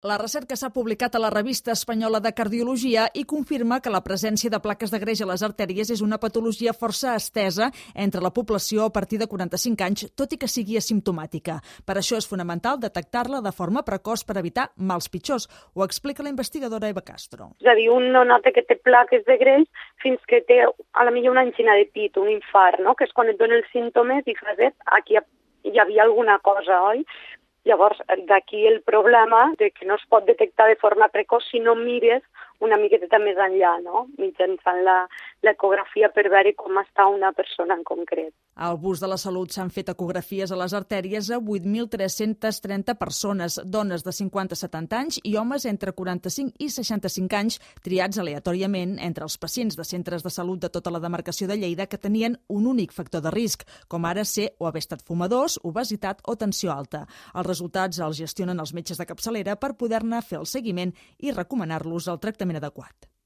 La recerca s'ha publicat a la Revista Espanyola de Cardiologia i confirma que la presència de plaques de greix a les artèries és una patologia força estesa entre la població a partir de 45 anys, tot i que sigui asimptomàtica. Per això és fonamental detectar-la de forma precoç per evitar mals pitjors. Ho explica la investigadora Eva Castro. És a dir, un no nota que té plaques de greix fins que té a la millor una angina de pit, un infart, no? Que és quan et dona els símptomes i fas, aquí hi havia alguna cosa, oi? Llavors, d'aquí el problema de que no es pot detectar de forma precoç si no mires una miqueta més enllà, no? Mitjançant l'ecografia per veure com està una persona en concret. Al Bus de la Salut s'han fet ecografies a les artèries a 8.330 persones, dones de 50 a 70 anys i homes entre 45 i 65 anys, triats aleatòriament entre els pacients de centres de salut de tota la demarcació de Lleida que tenien un únic factor de risc, com ara ser o haver estat fumadors, obesitat o tensió alta. Els resultats els gestionen els metges de capçalera per poder-ne fer el seguiment i recomanar-los el tractament adequat.